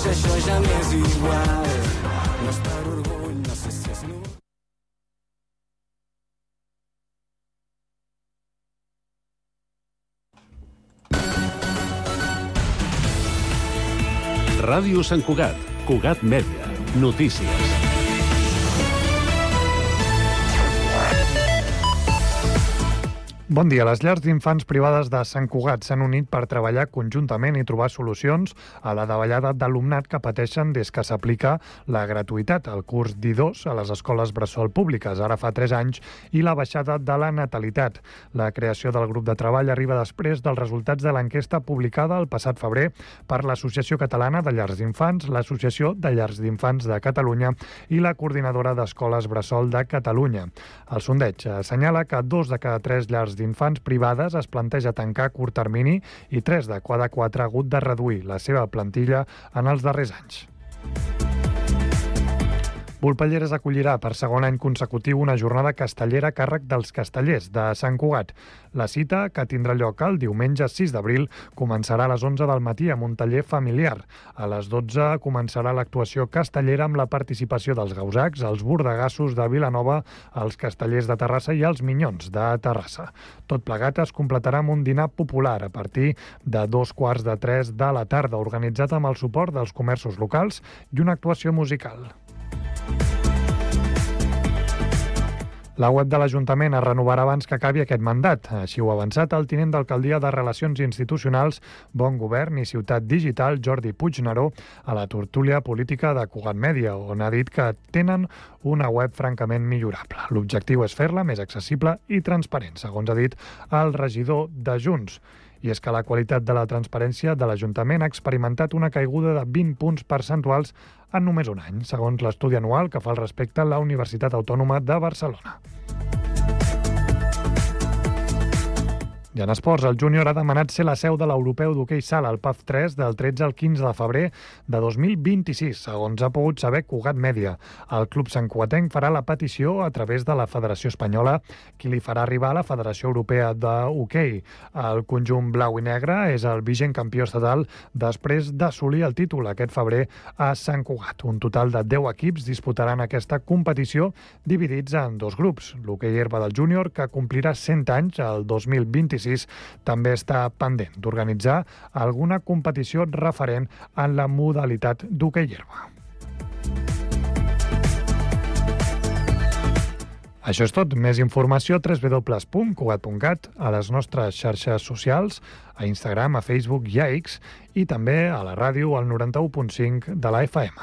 si això ja m'és igual. No és per orgull, no sé si és normal. Ràdio Sant Cugat, Cugat Mèdia, notícies. Bon dia. Les llars d'infants privades de Sant Cugat s'han unit per treballar conjuntament i trobar solucions a la davallada d'alumnat que pateixen des que s'aplica la gratuïtat al curs d'I2 a les escoles bressol públiques, ara fa 3 anys, i la baixada de la natalitat. La creació del grup de treball arriba després dels resultats de l'enquesta publicada el passat febrer per l'Associació Catalana de Llars d'Infants, l'Associació de Llars d'Infants de Catalunya i la Coordinadora d'Escoles Bressol de Catalunya. El sondeig assenyala que 2 de cada 3 llars d'infants privades es planteja tancar a curt termini i 3 de cada 4 ha hagut de reduir la seva plantilla en els darrers anys. Volpelleres acollirà per segon any consecutiu una jornada castellera a càrrec dels castellers de Sant Cugat. La cita, que tindrà lloc el diumenge 6 d'abril, començarà a les 11 del matí amb un taller familiar. A les 12 començarà l'actuació castellera amb la participació dels gausacs, els bordegassos de Vilanova, els castellers de Terrassa i els minyons de Terrassa. Tot plegat es completarà amb un dinar popular a partir de 2:45 de la tarda, organitzat amb el suport dels comerços locals i una actuació musical. La web de l'Ajuntament es renovarà abans que acabi aquest mandat. Així ho ha avançat el tinent d'alcaldia de Relacions Institucionals, Bon Govern i Ciutat Digital, Jordi Puigneró, a la tertúlia política de Cugat Mèdia, on ha dit que tenen una web francament millorable. L'objectiu és fer-la més accessible i transparent, segons ha dit el regidor de Junts. I és que la qualitat de la transparència de l'Ajuntament ha experimentat una caiguda de 20 punts percentuals en només un any, segons l'estudi anual que fa al respecte la Universitat Autònoma de Barcelona. I en esports, el júnior ha demanat ser la seu de l'europeu d'hoquei sala al PAF 3 del 13 al 15 de febrer de 2026, segons ha pogut saber Cugat Mèdia. El club santcugatenc farà la petició a través de la Federació Espanyola, qui li farà arribar a la Federació Europea d'Hoquei. El conjunt blau i negre és el vigent campió estatal després d'assolir el títol aquest febrer a Sant Cugat. Un total de 10 equips disputaran aquesta competició dividits en 2 grups. L'hoquei herba del júnior, que complirà 100 anys el 2026, també està pendent d'organitzar alguna competició referent en la modalitat d'hoquei herba. Això és tot. Més informació a www.cugat.cat, a les nostres xarxes socials, a Instagram, a Facebook i a X, i també a la ràdio al 91.5 de la FM.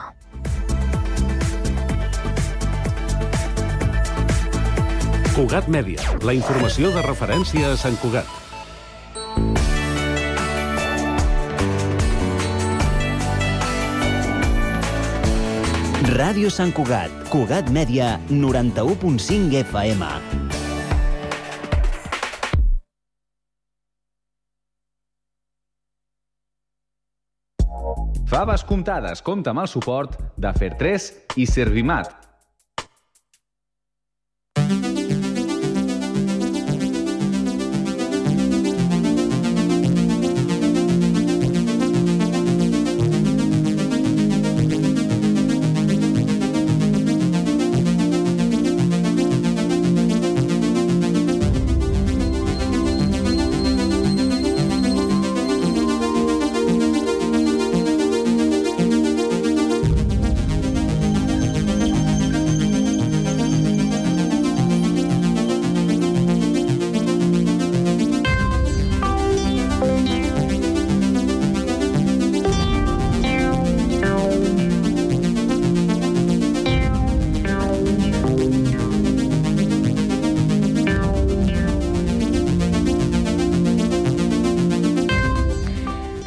Cugat Mèdia, la informació de referència a Sant Cugat. Ràdio Sant Cugat, Cugat Mèdia, 91.5 FM. Faves comptades compta amb el suport de Fer3 i Servimat.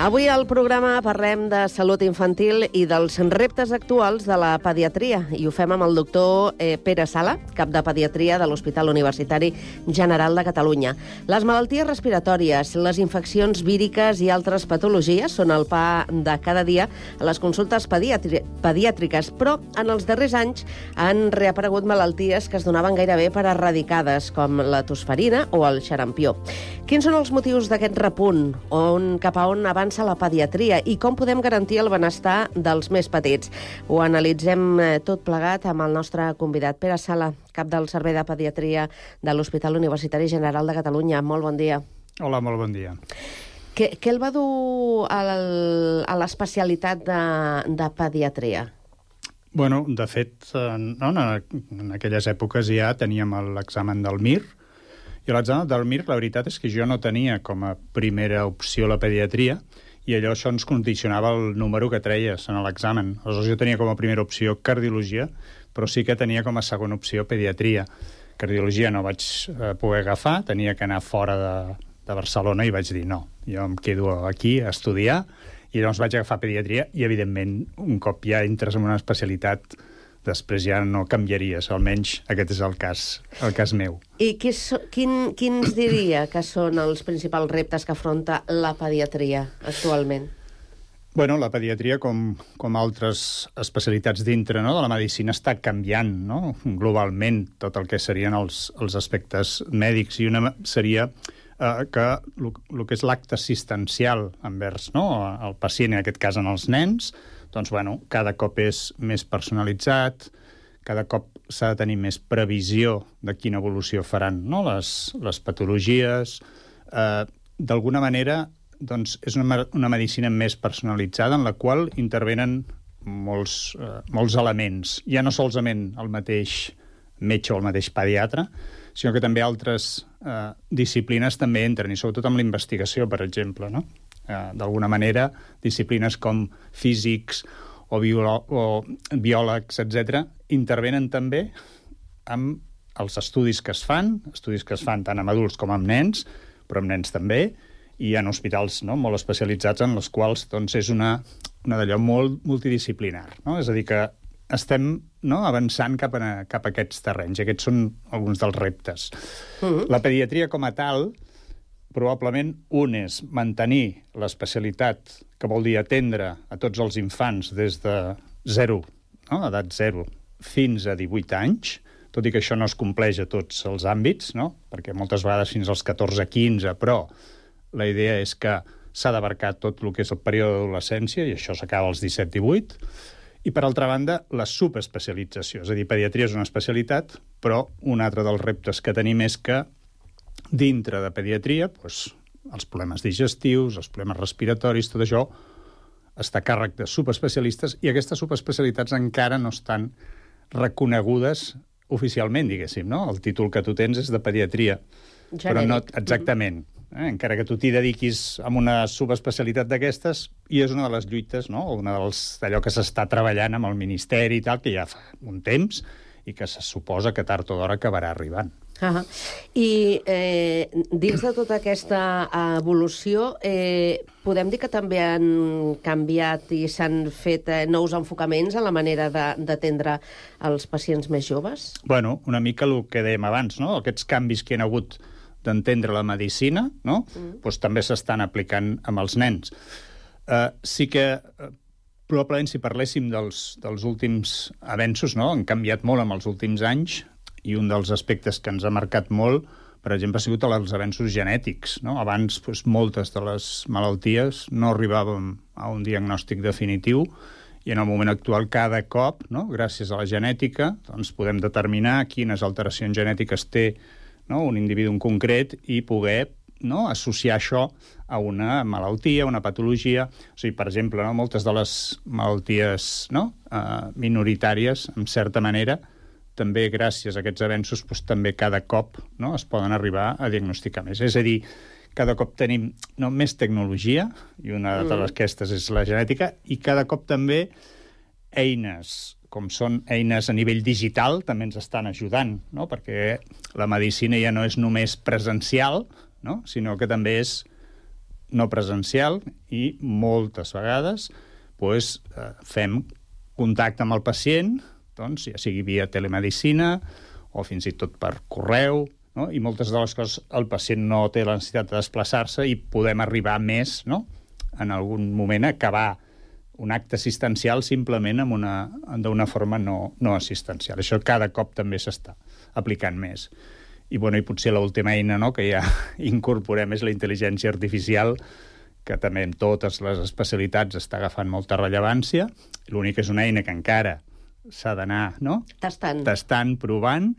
Avui al programa parlem de salut infantil i dels reptes actuals de la pediatria, i ho fem amb el doctor Pere Sala, cap de pediatria de l'Hospital Universitari General de Catalunya. Les malalties respiratòries, les infeccions víriques i altres patologies són el pa de cada dia a les consultes pediàtriques, però en els darrers anys han reaparegut malalties que es donaven gairebé per erradicades, com la tosferina o el xarampió. Quins són els motius d'aquest repunt? Cap a on avança la pediatria? I com podem garantir el benestar dels més petits? Ho analitzem tot plegat amb el nostre convidat, Pere Sala, cap del Servei de Pediatria de l'Hospital Universitari General de Catalunya. Molt bon dia. Hola, molt bon dia. Què el va dur a l'especialitat de pediatria? Bueno, de fet, en aquelles èpoques ja teníem l'examen del MIR, i l'examen del MIR, la veritat és que jo no tenia com a primera opció la pediatria, i això ens condicionava el número que treies en l'examen. Aleshores, jo tenia com a primera opció cardiologia, però sí que tenia com a segona opció pediatria. Cardiologia no vaig poder agafar, tenia que anar fora de Barcelona i vaig dir no, jo em quedo aquí a estudiar, i llavors vaig agafar pediatria i, evidentment, un cop ja entres en una especialitat, després ja no canviaries, almenys aquest és el cas meu. I quins diria que són els principals reptes que afronta la pediatria actualment? Bueno, la pediatria, com altres especialitats dintre de la medicina, està canviant globalment tot el que serien els aspectes mèdics, i una seria que el que és l'acte assistencial envers el pacient, en aquest cas en els nens, doncs, cada cop és més personalitzat, cada cop s'ha de tenir més previsió de quina evolució faran les patologies. D'alguna manera, doncs, és una medicina més personalitzada en la qual intervenen molts elements. Ja no solament el mateix metge o el mateix pediatre, sinó que també altres disciplines també entren, i sobretot amb la investigació, per exemple, d'alguna manera, disciplines com físics o biòlegs, etc., intervenen també amb els estudis que es fan tant amb adults com amb nens, però amb nens també, i hi ha hospitals molt especialitzats en els quals doncs, és una d'allò molt multidisciplinar. És a dir, que estem avançant cap a aquests terrenys. Aquests són alguns dels reptes. La pediatria com a tal, probablement un és mantenir l'especialitat, que vol dir atendre a tots els infants des de edat 0, fins a 18 anys, tot i que això no es compleix a tots els àmbits, perquè moltes vegades fins als 14-15, però la idea és que s'ha d'abarcar tot el que és el període d'adolescència, i això s'acaba als 17-18, i, per altra banda, la subespecialització. És a dir, pediatria és una especialitat, però un altre dels reptes que tenim és que dintre de pediatria, els problemes digestius, els problemes respiratoris, tot això està a càrrec de subespecialistes, i aquestes subespecialitats encara no estan reconegudes oficialment, diguéssim. El títol que tu tens és de pediatria. Genèric. Però no exactament. Encara que tu t'hi dediquis a una subespecialitat d'aquestes, i és una de les lluites, una d'allò que s'està treballant amb el Ministeri i tal, que ja fa un temps, i que se suposa que tard o d'hora acabarà arribant. I dins de tota aquesta evolució, podem dir que també han canviat i s'han fet nous enfocaments en la manera d'atendre els pacients més joves? Bueno, una mica el que dèiem abans, aquests canvis que hi ha hagut d'entendre la medicina, doncs també s'estan aplicant amb els nens. Sí que, probablement, si parléssim dels últims avenços, han canviat molt en els últims anys, i un dels aspectes que ens ha marcat molt, per exemple, ha sigut els avenços genètics. Abans, moltes de les malalties no arribàvem a un diagnòstic definitiu, i en el moment actual, cada cop, gràcies a la genètica, doncs podem determinar quines alteracions genètiques té un individu en concret, i poder associar això a una malaltia, una patologia. O sigui, per exemple, moltes de les malalties minoritàries, en certa manera, també gràcies a aquests avenços, també cada cop es poden arribar a diagnosticar més. És a dir, cada cop tenim més tecnologia, i una d'aquestes és la genètica, i cada cop també eines, com són eines a nivell digital, també ens estan ajudant, perquè la medicina ja no és només presencial, sinó que també és no presencial, i moltes vegades fem contacte amb el pacient, ja sigui via telemedicina o fins i tot per correu, i moltes de les coses el pacient no té la necessitat de desplaçar-se, i podem arribar més, en algun moment, a acabar un acte assistencial simplement d'una forma no assistencial. Això cada cop també s'està aplicant més. I potser l'última eina, no?, que ja incorporem és la intel·ligència artificial, que també en totes les especialitats està agafant molta rellevància. L'únic és una eina que encara s'ha d'anar, no?, tastant, provant,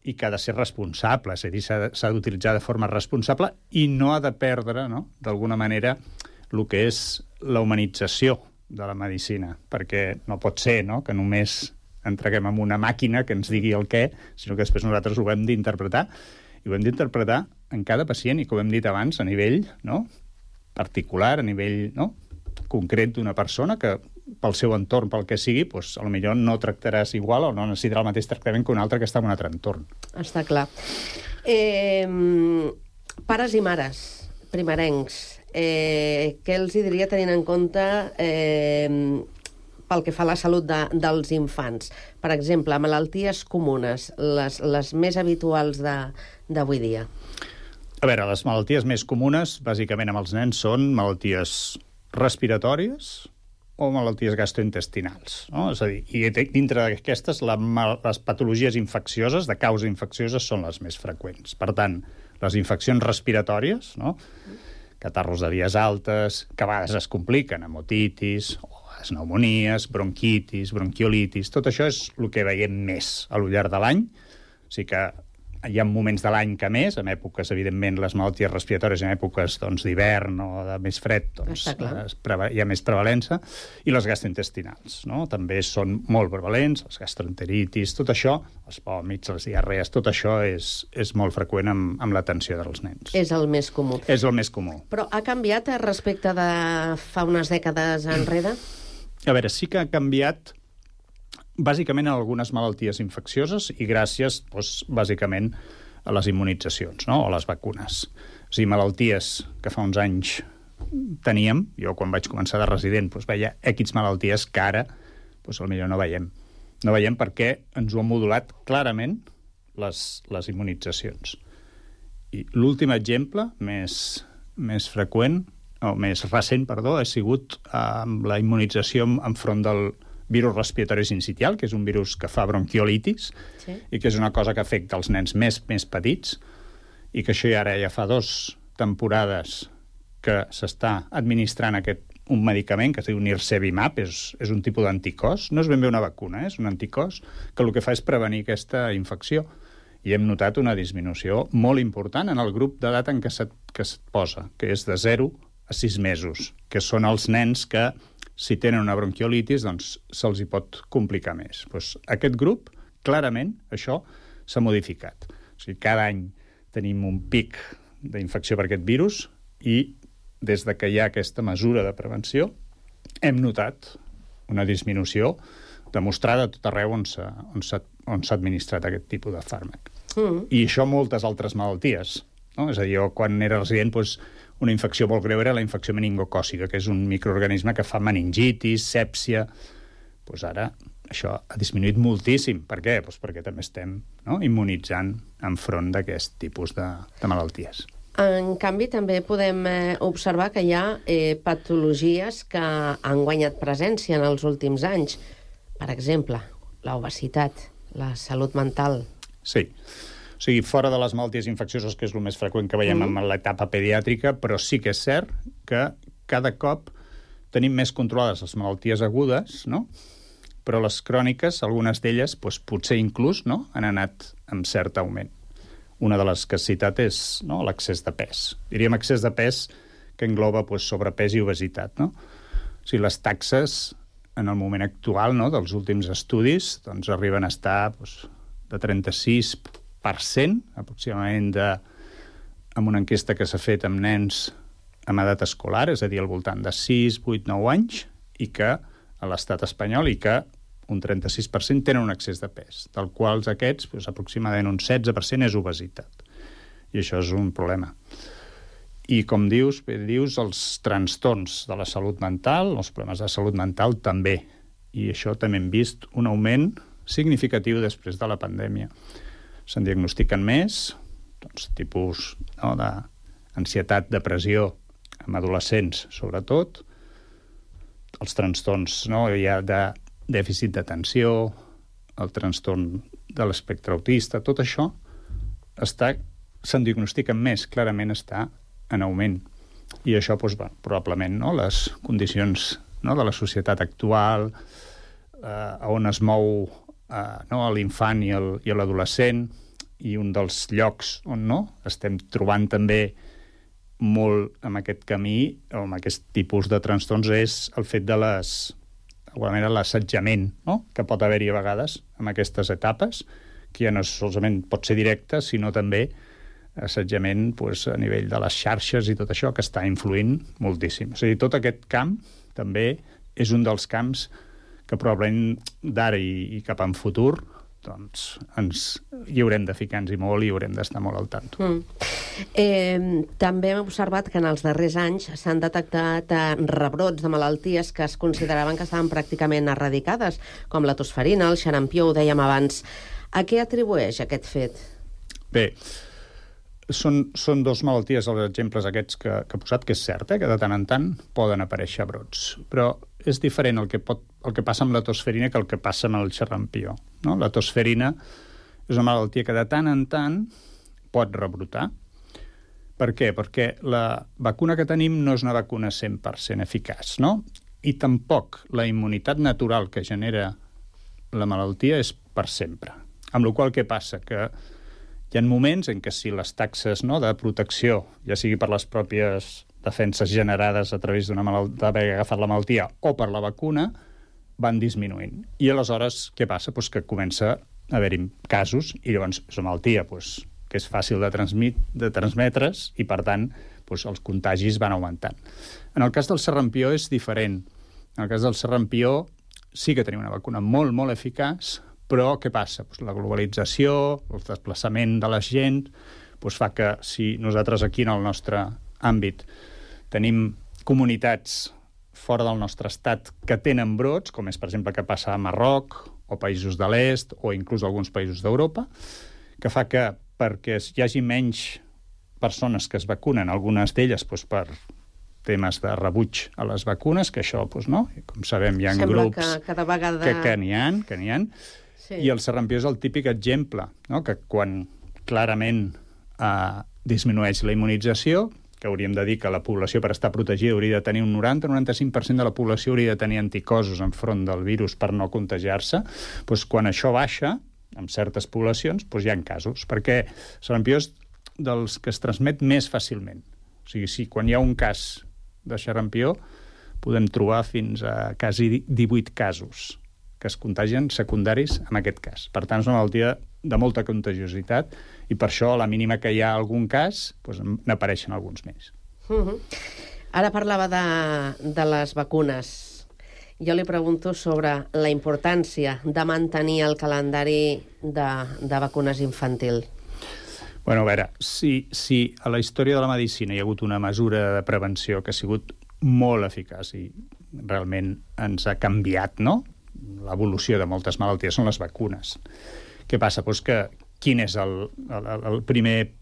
i que ha de ser responsable, és a dir, s'ha d'utilitzar de forma responsable i no ha de perdre, no?, d'alguna manera, el que és la humanització de la medicina, perquè no pot ser, no?, que només entreguem en una màquina que ens digui el què, sinó que després nosaltres ho hem d'interpretar, i ho hem d'interpretar en cada pacient, i com hem dit abans, a nivell, no?, particular, a nivell, no?, concret d'una persona que pel seu entorn, pel que sigui, doncs, potser no tractaràs igual o no necessitarà el mateix tractament que un altre que està en un altre entorn. Està clar. Pares i mares, primerencs, què els diria tenint en compte pel que fa a la salut dels infants? Per exemple, malalties comunes, les més habituals d'avui dia. A veure, les malalties més comunes, bàsicament amb els nens, són malalties respiratòries o malalties gastrointestinals, no? És a dir, i dintre d'aquestes, les patologies infeccioses, de causa infecciosa, són les més freqüents. Per tant, les infeccions respiratòries, no?, catarros de dies altes, que a vegades es compliquen, amb otitis, les pneumonies, bronquitis, bronquiolitis, tot això és el que veiem més a lo llarg de l'any. O sigui que hi ha moments de l'any que més, en èpoques, evidentment, les malalties respiratòries, en èpoques d'hivern o de més fred, doncs, hi ha més prevalença, i les gastrointestinals, no?, també són molt prevalents, les gastroenteritis, tot això, els vòmits, les diarrees, tot això és molt freqüent amb l'atenció dels nens. És el més comú. És el més comú. Però ha canviat respecte de fa unes dècades enrere? A veure, sí que ha canviat bàsicament en algunes malalties infeccioses i gràcies, doncs, bàsicament, a les immunitzacions, no?, o a les vacunes. O sigui, malalties que fa uns anys teníem, jo quan vaig començar de resident doncs, veia X malalties que ara doncs, potser no veiem. No veiem perquè ens ho han modulat clarament les immunitzacions. I l'últim exemple més freqüent, o més recent, ha sigut la immunització enfront del virus respiratori sincitial, que és un virus que fa bronquiolitis, i que és una cosa que afecta els nens més petits, i que això ja fa 2 temporades que s'està administrant un medicament que es diu Nirsevimab, és un tipus d'anticòs, no és ben bé una vacuna, és un anticòs, que el que fa és prevenir aquesta infecció. I hem notat una disminució molt important en el grup d'edat en què se't posa, que és de 0 a 6 mesos, que són els nens que si tenen una bronquiolitis, doncs se'ls hi pot complicar més. Doncs aquest grup, clarament, això s'ha modificat. O sigui, cada any tenim un pic d'infecció per aquest virus i des de que hi ha aquesta mesura de prevenció hem notat una disminució demostrada a tot arreu on s'ha administrat aquest tipus de fàrmac. I això moltes altres malalties, no? És a dir, jo quan era resident, doncs, una infecció molt greu era la infecció meningocòcica, que és un microorganisme que fa meningitis, sèpsia. Doncs ara això ha disminuït moltíssim. Per què? Doncs perquè també estem, no?, immunitzant enfront d'aquest tipus de malalties. En canvi, també podem observar que hi ha patologies que han guanyat presència en els últims anys. Per exemple, l'obesitat, la salut mental. Sí. O sigui, fora de les malalties infeccioses, que és el més freqüent que veiem en l'etapa pediàtrica, però sí que és cert que cada cop tenim més controlades les malalties agudes, no?, però les cròniques, algunes d'elles, doncs, potser inclús, no?, han anat amb cert augment. Una de les que has citat és, no?, l'excés de pes. Diríem excés de pes que engloba doncs, sobrepès i obesitat, no? O sigui, les taxes, en el moment actual, no?, dels últims estudis, doncs arriben a estar doncs, de 36% aproximadament amb una enquesta que s'ha fet amb nens amb edat escolar, és a dir, al voltant de 6, 8, 9 anys, i que a l'estat espanyol, i que un 36% tenen un excés de pes, del qual aquests, doncs, aproximadament un 16% és obesitat. I això és un problema. I com dius, els trastorns de la salut mental, els problemes de salut mental també. I això també hem vist un augment significatiu després de la pandèmia. Se'n diagnostiquen més, doncs, tipus, no, d'ansietat, depressió, en adolescents, sobretot, els trastorns, no, hi ha de dèficit d'atenció, el trastorn de l'espectre autista, tot això se'n diagnostiquen més, clarament està en augment. I això, doncs, probablement, no? Les condicions, no, de la societat actual, on es mou no, l'infant i l'adolescent, i un dels llocs on no estem trobant també molt amb aquest camí o amb aquest tipus de trastorns és el fet de l'assetjament, no? Que pot haver-hi a vegades en aquestes etapes, que ja no solament pot ser directe, sinó també assetjament a nivell de les xarxes i tot això, que està influint moltíssim. És a dir, tot aquest camp també és un dels camps que probablement d'ara i cap en futur doncs hi haurem de ficar-nos-hi molt i haurem d'estar molt al tanto. També hem observat que en els darrers anys s'han detectat rebrots de malalties que es consideraven que estaven pràcticament eradicades, com la tosferina, el xarampió, ho dèiem abans. A què atribueix aquest fet? Bé, són dos malalties, els exemples aquests que he posat, que és cert, que de tant en tant poden aparèixer brots. Però és diferent el que passa amb la tosferina que el que passa amb el xarampió. No? La tosferina és una malaltia que de tant en tant pot rebrotar. Per què? Perquè la vacuna que tenim no és una vacuna 100% eficaç, no? I tampoc la immunitat natural que genera la malaltia és per sempre. Amb la qual cosa, què passa? Que hi ha moments en què si les taxes, no, de protecció, ja sigui per les pròpies defenses generades a través d'haver agafat la malaltia o per la vacuna, van disminuint. I aleshores, què passa? Pues que comença a haver-hi casos, i llavors és una malaltia que és fàcil de transmetre's i, per tant, els contagis van augmentant. En el cas del sarampió és diferent. En el cas del sarampió sí que tenim una vacuna molt, molt eficaç, però què passa? La globalització, el desplaçament de la gent, fa que si nosaltres aquí en el nostre àmbit tenim comunitats fora del nostre estat que tenen brots, com és, per exemple, que passa a Marroc o països de l'est o inclús alguns països d'Europa, que fa que perquè hi hagi menys persones que es vacunen, algunes d'elles per temes de rebuig a les vacunes, que això, no? Com sabem, hi ha grups que cada vegada que n'hi ha. Sí. I el sarampió és el típic exemple, no? Que quan clarament disminueix la immunització, que hauríem de dir que la població per estar protegida hauria de tenir un 90-95% de la població hauria de tenir anticossos enfront del virus per no contagiar-se, quan això baixa, en certes poblacions, hi ha casos, perquè el sarampió és dels que es transmet més fàcilment. O sigui, si quan hi ha un cas de sarampió podem trobar fins a quasi 18 casos que es contagien secundaris en aquest cas. Per tant, és una malaltia de molta contagiositat i per això, a la mínima que hi ha algun cas, n'apareixen alguns més. Ara parlava de les vacunes. Jo li pregunto sobre la importància de mantenir el calendari de vacunes infantil. Bueno, a veure, si a la història de la medicina hi ha hagut una mesura de prevenció que ha sigut molt eficaç i realment ens ha canviat, no?, l'evolució de moltes malalties, són les vacunes. Què passa? Que quin és el primer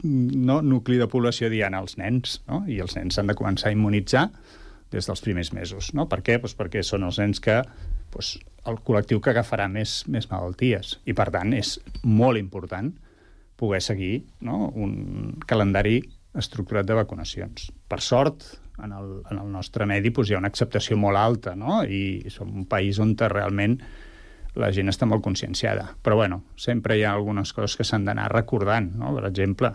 nucli de població diana? Els nens, no? I els nens s'han de començar a immunitzar des dels primers mesos. No? Per què? Perquè són els nens que el col·lectiu que agafarà més malalties. I, per tant, és molt important poder seguir, no, un calendari estructurat de vacunacions. Per sort, en el nostre medi hi ha una acceptació molt alta, no? I som un país on realment la gent està molt conscienciada. Però, bueno, sempre hi ha algunes coses que s'han d'anar recordant, no? Per exemple,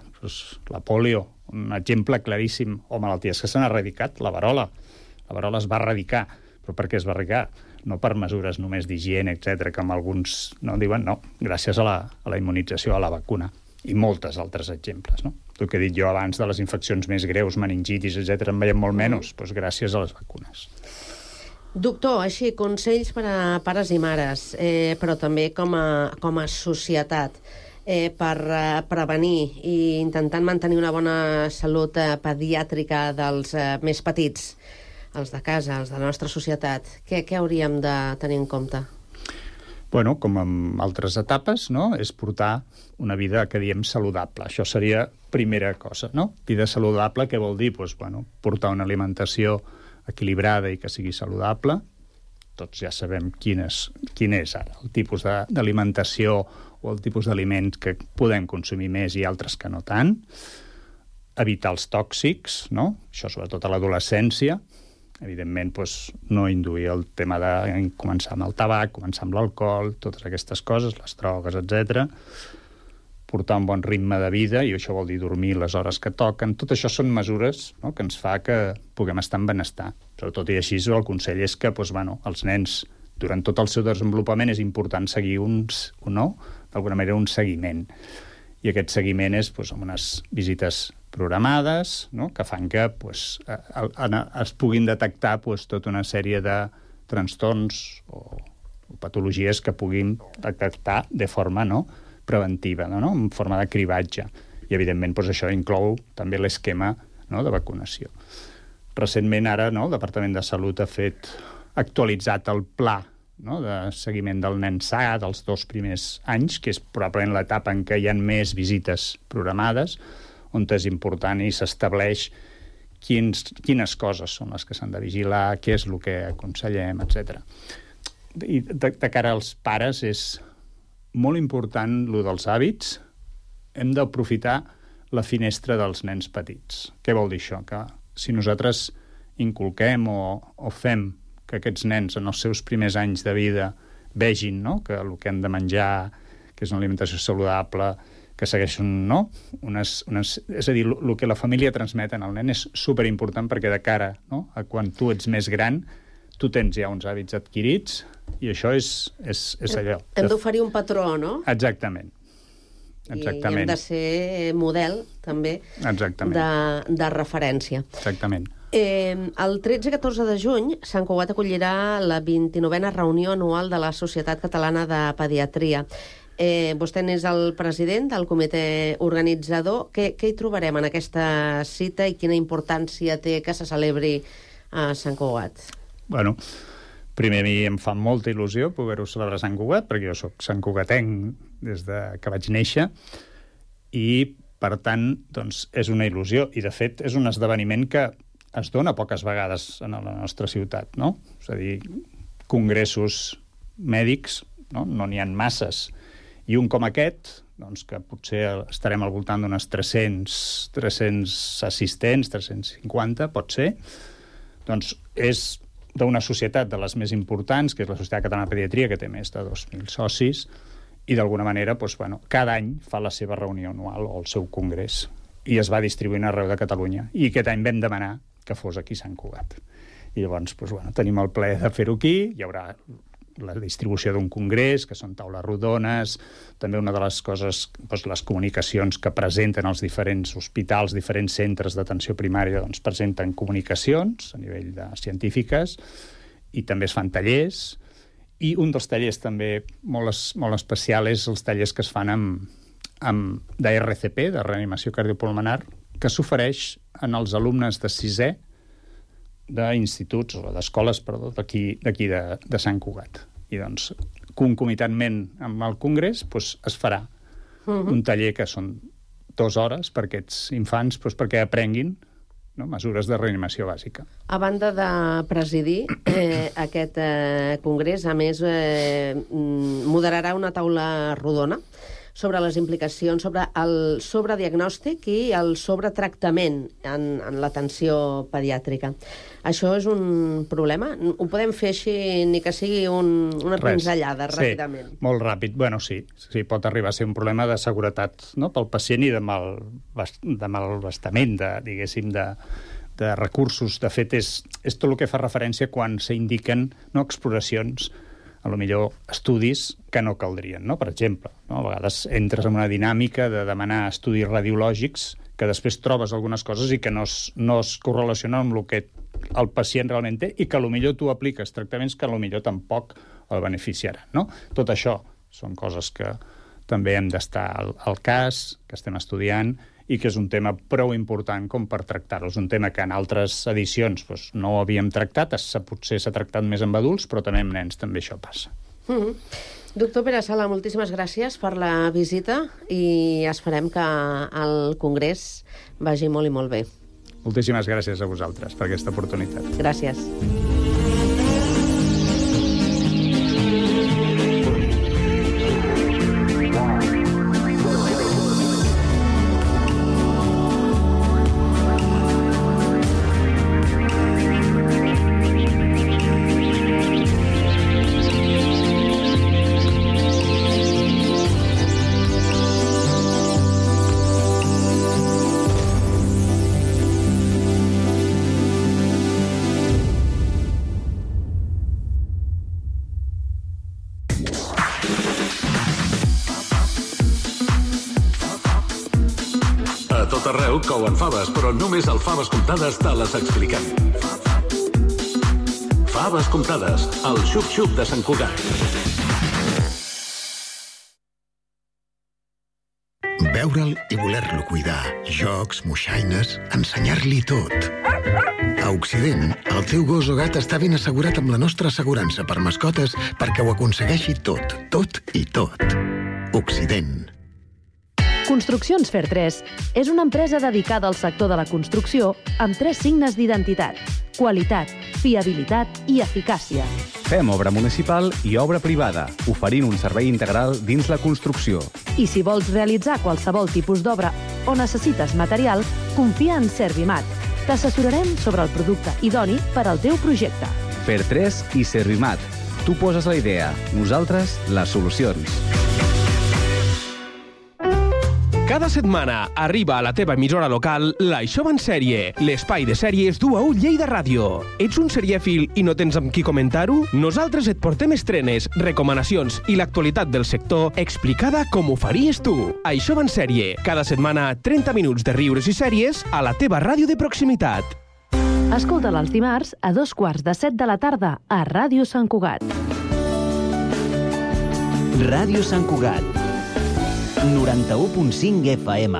la polio, un exemple claríssim, o malalties que s'han erradicat, la verola. La verola es va erradicar. Però per què es va erradicar? No per mesures només d'higiene, etc., que amb alguns diuen no, gràcies a la immunització, a la vacuna. I moltes altres exemples, no? El que he dit jo abans de les infeccions més greus, meningitis, etc., en veiem molt menys, gràcies a les vacunes. Doctor, així, consells per a pares i mares, però també com a societat, per prevenir i intentant mantenir una bona salut pediàtrica dels més petits, els de casa, els de la nostra societat. Què hauríem de tenir en compte? Bueno, com en altres etapes, no?, és portar una vida que diem saludable. Això seria primera cosa, no? Vida saludable, què vol dir? Portar una alimentació equilibrada i que sigui saludable, tots ja sabem quin és ara el tipus d'alimentació o el tipus d'aliments que podem consumir més i altres que no tant. Evitar els tòxics, no? Això sobretot a l'adolescència. Evidentment, doncs, no induir el tema de començar amb el tabac, començar amb l'alcohol, totes aquestes coses, les drogues, etc. Portar un bon ritme de vida, i això vol dir dormir les hores que toquen. Tot això són mesures, no?, que ens fa que puguem estar en benestar. Sobretot i així, el consell és que els nens, durant tot el seu desenvolupament, és important seguir d'alguna manera un seguiment. I aquest seguiment és amb unes visites programades, no?, que fan que es puguin detectar tota una sèrie de trastorns o patologies que puguin detectar de forma preventiva, en forma de cribatge. I, evidentment, això inclou també l'esquema de vacunació. Recentment, ara, el Departament de Salut ha actualitzat el pla de seguiment del nen sa dels 2 primers anys, que és probablement l'etapa en què hi ha més visites programades, on és important i s'estableix quines coses són les que s'han de vigilar, què és el que aconsellem, etc. I de cara als pares és molt important el dels hàbits. Hem d'aprofitar la finestra dels nens petits. Què vol dir això? Que si nosaltres inculquem o fem que aquests nens en els seus primers anys de vida vegin que el que han de menjar, que és una alimentació saludable, que segueixen és a dir, el que la família transmet al nen és superimportant, perquè de cara a quan tu ets més gran, tu tens ja uns hàbits adquirits, i això és allò. Hem d'oferir un patró, no? Exactament. I hem de ser model, també, de referència. Exactament. El 13 i 14 de juny, Sant Cugat acollirà la 29a reunió anual de la Societat Catalana de Pediatria. Vostè n'és el president del comitè organitzador. Què hi trobarem en aquesta cita i quina importància té que se celebri a Sant Cugat? Bueno, primer a mi em fa molta il·lusió poder-ho celebrar a Sant Cugat, perquè jo soc santcugatenc des que vaig néixer, i, per tant, doncs, és una il·lusió. I, de fet, és un esdeveniment que es dona poques vegades en la nostra ciutat, no? És a dir, congressos mèdics, no n'hi ha masses. I un com aquest, doncs, que potser estarem al voltant d'unes 300 assistents, 350, pot ser, doncs és d'una societat de les més importants, que és la Societat Catalana de Pediatria, que té més de 2.000 socis, i d'alguna manera, cada any fa la seva reunió anual o el seu congrés, i es va distribuint arreu de Catalunya. I aquest any vam demanar que fos aquí a Sant Cugat. I llavors, tenim el plaer de fer-ho aquí. Hi haurà la distribució d'un congrés, que són taules rodones, també una de les coses, les comunicacions que presenten els diferents hospitals, diferents centres d'atenció primària, doncs presenten comunicacions a nivell de científiques, i també es fan tallers, i un dels tallers també molt especial és els tallers que es fan d'RCP, de reanimació cardiopulmonar, que s'ofereix en els alumnes de 6è d'instituts o d'escoles, d'aquí de Sant Cugat. I doncs, concomitantment amb el congrés, es farà un taller que són 2 hores per aquests infants, perquè aprenguin mesures de reanimació bàsica. A banda de presidir aquest congrés, a més, moderarà una taula rodona sobre les implicacions, sobre el sobrediagnòstic i el sobretractament en l'atenció pediàtrica. Això és un problema? Ho podem fer així, ni que sigui una pinzellada, ràpidament? Sí, molt ràpid. Bueno, sí, pot arribar a ser un problema de seguretat pel pacient i de malbastament, diguéssim, de recursos. De fet, és tot el que fa referència quan s'indiquen exploracions, a lo millor estudis que no caldrien, no? Per exemple, a vegades entres en una dinàmica de demanar estudis radiològics que després trobes algunes coses i que no es correlacionen amb el que el pacient realment té i que a lo millor tu apliques tractaments que a lo millor tampoc el beneficiaran, no? Tot això són coses que també hem d'estar al cas, que estem estudiant, i que és un tema prou important com per tractar-ho. És un tema que en altres edicions no havíem tractat, potser s'ha tractat més amb adults, però també amb nens també això passa. Doctor Pere Sala, moltíssimes gràcies per la visita i esperem que el congrés vagi molt i molt bé. Moltíssimes gràcies a vosaltres per aquesta oportunitat. Gràcies. arreu couen faves, però només al Faves Comptades te les expliquem. Faves Comptades, el xup-xup de Sant Cugat. Veure'l i voler-lo cuidar. Jocs, moixaines, ensenyar-li tot. A Occident, el teu gos o gat està ben assegurat amb la nostra assegurança per mascotes perquè ho aconsegueixi tot, tot i tot. Occident. Construccions Fer3 és una empresa dedicada al sector de la construcció amb 3 signes d'identitat: qualitat, fiabilitat i eficàcia. Fem obra municipal i obra privada, oferint un servei integral dins la construcció. I si vols realitzar qualsevol tipus d'obra o necessites material, confia en Servimat. T'assessorarem sobre el producte idoni per al teu projecte. Fer3 i Servimat. Tu poses la idea, nosaltres les solucions. Cada setmana arriba a la teva emissora local l'Això va en sèrie, l'espai de sèries d'U a U Lleida Ràdio. Ets un serièfil i no tens amb qui comentar-ho? Nosaltres et portem estrenes, recomanacions i l'actualitat del sector explicada com ho faries tu. Això va en sèrie, cada setmana 30 minuts de riures i sèries a la teva ràdio de proximitat. Escolta'l els dimarts a 2:15 de la tarda a Ràdio Sant Cugat. Ràdio Sant Cugat. 91.5 FM.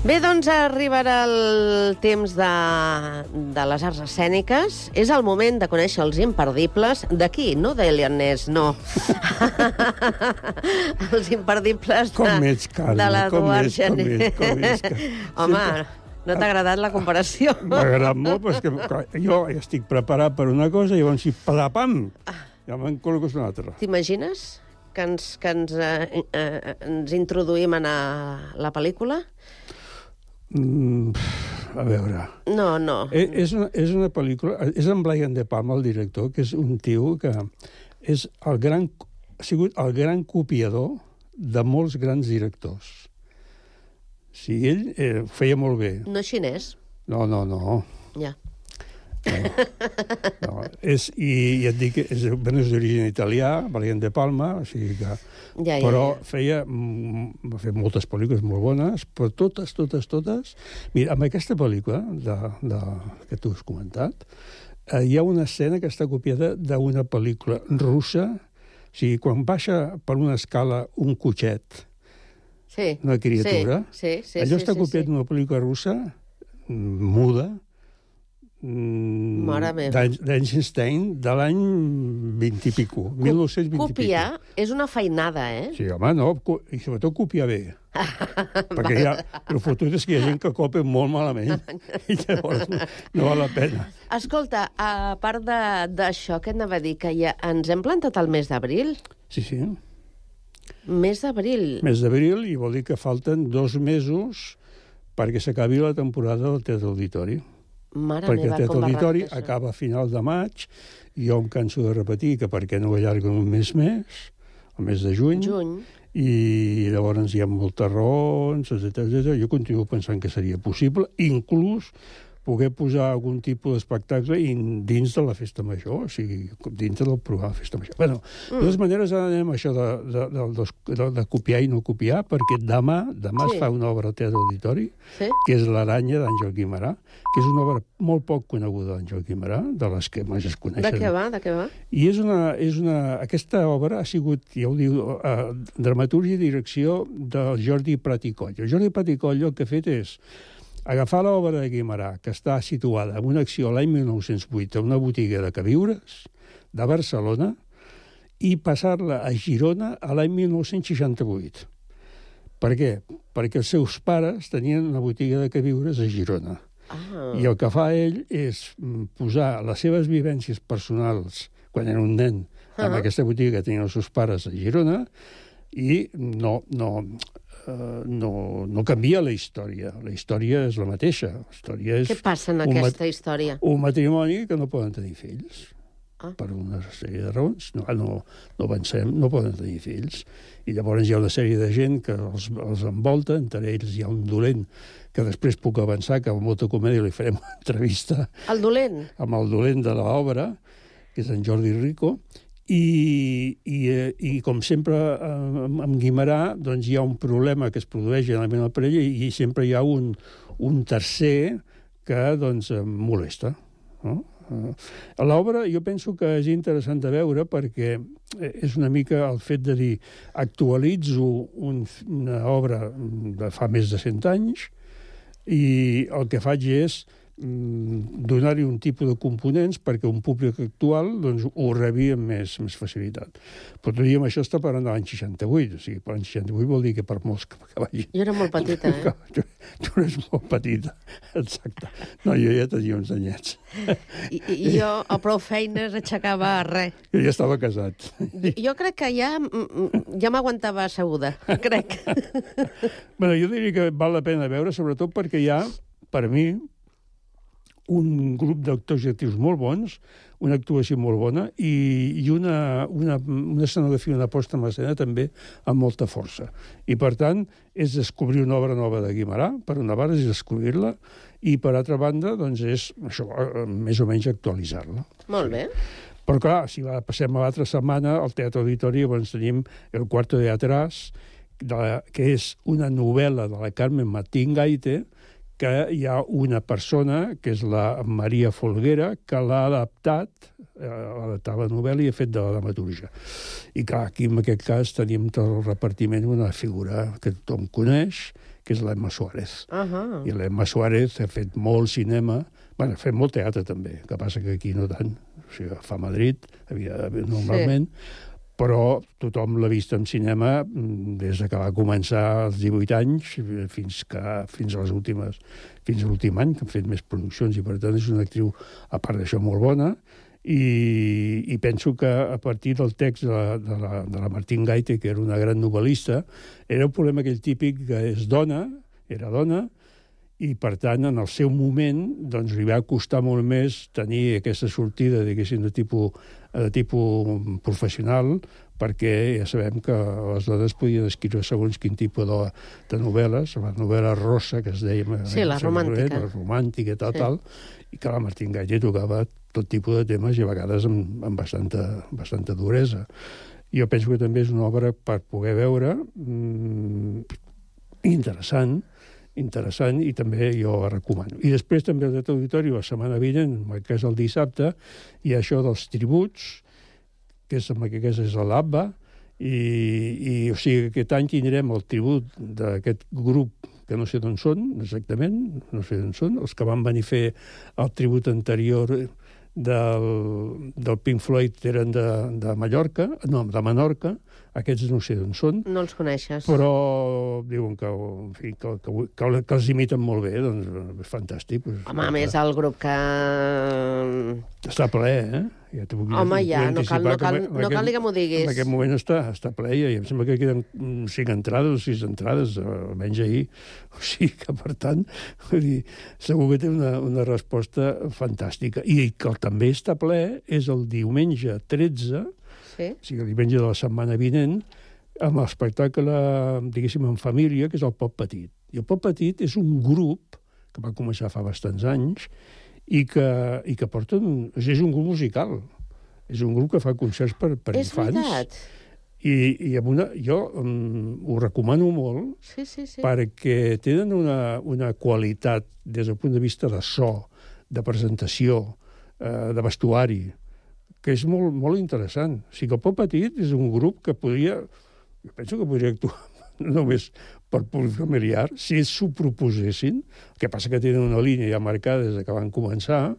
Bé, doncs arribarà el temps de les arts escèniques. És el moment de conèixer els imperdibles d'aquí, no d'Elianès, no. Els imperdibles de l'Eduard Gené. Home, no t'ha agradat la comparació? M'ha agradat molt, però és que jo estic preparat per una cosa i llavors, si padapam, ja me'n col·loques una altra. T'imagines que ens introduïm en la pel·lícula? A veure... No. És una pel·lícula... És en Brian De Palma, el director, que és un tio que és ha sigut el gran copiador de molts grans directors. Sí, ell ho feia molt bé. No xinès? No. Ja. No, i et dic que és d'origen italià, Brian De Palma, o sigui que... Però va fer moltes pel·lícules molt bones, però totes... Mira, amb aquesta pel·lícula que tu has comentat, hi ha una escena que està copiada d'una pel·lícula russa. O sigui, quan baixa per una escala un cotxet, una criatura, allò està copiat d'una pel·lícula russa, muda, d'Einstein, de l'any 20 i pico, 1920 i pico. Copiar és una feinada, eh? Sí, home, no, i sobretot copiar bé. Perquè el fotut és que hi ha gent que copia molt malament i llavors no val la pena. Escolta, a part d'això, què anava a dir? Que ja ens hem plantat el mes d'abril? Sí. Mes d'abril. Mes d'abril, i vol dir que falten 2 mesos perquè s'acabi la temporada del Teatre Auditori. Mare perquè meva, el com va Teatre Auditori ràpid, acaba a final de maig, i jo em canso de repetir que per què no ho allarguen un mes més, el mes de juny, i llavors hi ha moltes raons, etc. Jo continuo pensant que seria possible, inclús poder posar algun tipus d'espectacle dins de la Festa Major, o sigui, dins del programa de Festa Major. Bueno, de totes maneres, ara anem a això de copiar i no copiar, perquè demà es fa una obra al Teatre Auditori, que és l'Aranya d'Àngel Guimerà, que és una obra molt poc coneguda d'Àngel Guimerà, de les que més es coneixen. De què va? I aquesta obra ha sigut, ja ho diu, dramatúrgia i direcció del Jordi Prat i Coll. El Jordi Prat i Coll el que ha fet és agafar l'obra de Guimerà, que està situada en una acció l'any 1908 a una botiga de queviures de Barcelona, i passar-la a Girona a l'any 1968. Per què? Perquè els seus pares tenien una botiga de queviures a Girona. I el que fa ell és posar les seves vivències personals, quan era un nen, en aquesta botiga que tenien els seus pares a Girona, i no canvia la història. La història és la mateixa. Què passa en aquesta història? Un matrimoni que no poden tenir fills. Per una sèrie de raons. No poden tenir fills. I llavors hi ha una sèrie de gent que els envolta, entre ells hi ha un dolent, que després puc avançar que amb molta comèdia li farem una entrevista. El dolent? Amb el dolent de l'obra, que és en Jordi Rico, i com sempre amb Guimerà doncs hi ha un problema que es produeix generalment a la parella i sempre hi ha un tercer que doncs molesta, no? L'obra jo penso que és interessant de veure perquè és una mica el fet de dir actualitzo una obra de fa més de 100 anys i el que faig és donar-hi un tipus de components perquè un públic actual doncs, ho rebi amb més facilitat. Però tot diem, això està parlant de l'any 68, o sigui, per l'any 68 vol dir que per molts que vagin... Jo era molt petita, Tu eres molt petita, exacte. No, jo ja tenia uns anyets. I jo a prou feines aixecava res. Jo ja estava casat. Jo crec que ja m'aguantava asseguda, crec. Bueno, jo diria que val la pena veure, sobretot perquè hi ha, per mi, un grup d'actors i actrius molt bons, una actuació molt bona i una escenografia, una posta en escena també amb molta força. I, per tant, és descobrir una obra nova de Guimerà, per una banda és descobrir-la, i, per altra banda, doncs és això, més o menys actualitzar-la. Molt bé. Però, clar, si passem a l'altra setmana, al Teatre Auditori, doncs tenim El cuarto de atrás, que és una novel·la de la Carmen Martín Gaite, que hi ha una persona, que és la Maria Folguera, que l'ha adaptat la novel·la i ha fet de la dramaturgia. I clar, aquí en aquest cas tenim tot el repartiment una figura que tothom coneix, que és l'Emma Suárez. I l'Emma Suárez ha fet molt cinema, bueno, ha fet molt teatre també, que passa que aquí no tant, o sigui, fa Madrid, normalment, però tothom l'ha vist en cinema des que va començar als 18 anys fins a l'últim any, que han fet més produccions, i per tant és una actriu, a part d'això, molt bona, i penso que a partir del text de la Martín Gaite, que era una gran novel·lista, era un problema aquell típic que era dona, i, per tant, en el seu moment, doncs, li va costar molt més tenir aquesta sortida, diguéssim, de tipus professional, perquè ja sabem que les dones podien escriure segons quin tipus de novel·les, la novel·la rosa, que es deia... Sí, la romàntica. La romàntica i tal, i que la Martín Gaite tocava tot tipus de temes i a vegades amb bastanta duresa. Jo penso que també és una obra per poder veure interessant, i també jo la recomano. I després també al Teatre Auditori, la setmana vinent, que és el dissabte, hi ha això dels tributs, que és, en aquest cas és l'ABBA, i o sigui, aquest any tindrem el tribut d'aquest grup que no sé d'on són, exactament, no sé d'on són, els que van venir a fer el tribut anterior del Pink Floyd eren de Mallorca, no, de Menorca, aquests no sé d'on són. No els coneixes. Però diuen que els imiten molt bé, doncs és fantàstic. Home, a més, el grup que... Està ple, eh? Home, ja, no cal que m'ho diguis. En aquest moment està ple, i em sembla que queden 5 entrades o 6 entrades, almenys ahir. O sigui que, per tant, segur que té una resposta fantàstica. I que també està ple és el diumenge 13, o sigui, el diumenge de la setmana vinent, amb l'espectacle, diguéssim, en família, que és el Pop Petit. I el Pop Petit és un grup que va començar fa bastants anys i que porta... És un grup musical. És un grup que fa concerts per infants. És veritat. I jo ho recomano molt perquè tenen una qualitat des del punt de vista de so, de presentació, de vestuari, que és molt, molt interessant. O sigui que el Pop Petit és un grup que jo penso que podria actuar no només per públic familiar, si s'ho proposessin, el que passa que tenen una línia ja marcada des que van començar,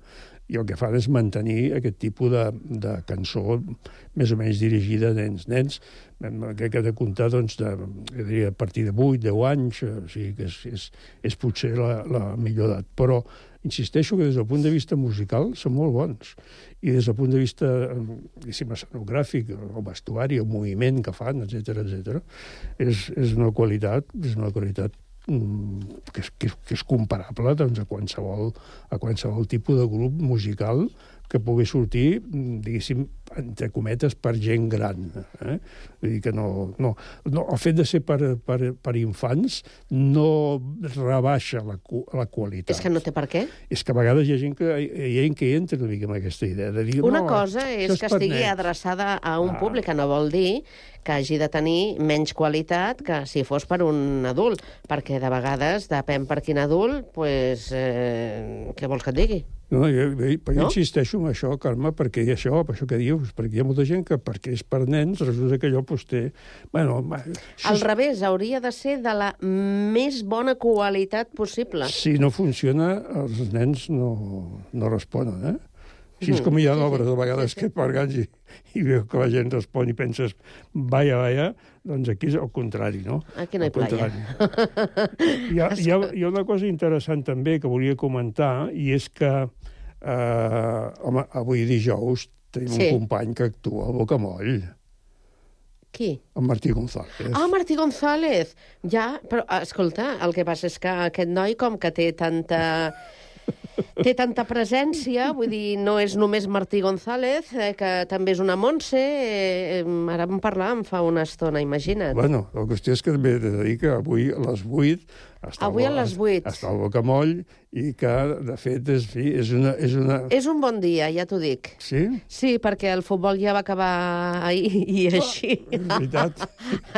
i el que fan és mantenir aquest tipus de cançó més o menys dirigida a nens. Nens, crec que he de comptar, doncs, a partir de 8, 10 anys, o sigui que és potser la millor edat. Però insisteixo que des del punt de vista musical són molt bons. I des del punt de vista, diguéssim, escenogràfic, el vestuari, el moviment que fan, etc, és una qualitat que és comparable, doncs, a qualsevol tipus de grup musical que pugui sortir, diguéssim, entre cometes, per gent gran. Vull dir que no, el fet de ser per infants no rebaixa la qualitat. És que no té per què? És que a vegades hi ha gent que entra una mica amb aquesta idea. De dir, una cosa és que estigui adreçada a un públic, que no vol dir que hagi de tenir menys qualitat que si fos per un adult, perquè de vegades, depèn per quin adult, doncs, què vols que et digui? Jo insisteixo en això, Carme, perquè per això que dius, perquè hi ha molta gent que perquè és per nens resulta que allò té... Al revés, hauria de ser de la més bona qualitat possible. Si no funciona, els nens no responen, Així és com hi ha obres, a vegades que per gans i veu que la gent respon i penses vaya, doncs aquí és el contrari, no? Aquí no hi playa. Hi ha una cosa interessant també que volia comentar, i és que avui dijous tenim un company que actua al Bocamoll. Qui? El Martí González. Ah, Martí González! Ja, però, escolta, el que passa és que aquest noi, com que té tanta presència, vull dir, no és només Martí González, que també és una Montse, ara en parlàvem fa una estona, imagina't. Bueno, la qüestió és que també he de dir que avui a les 8 està al Bocamoll i que, de fet, és una... És un bon dia, ja t'ho dic. Sí? Sí, perquè el futbol ja va acabar ahir i així... És veritat.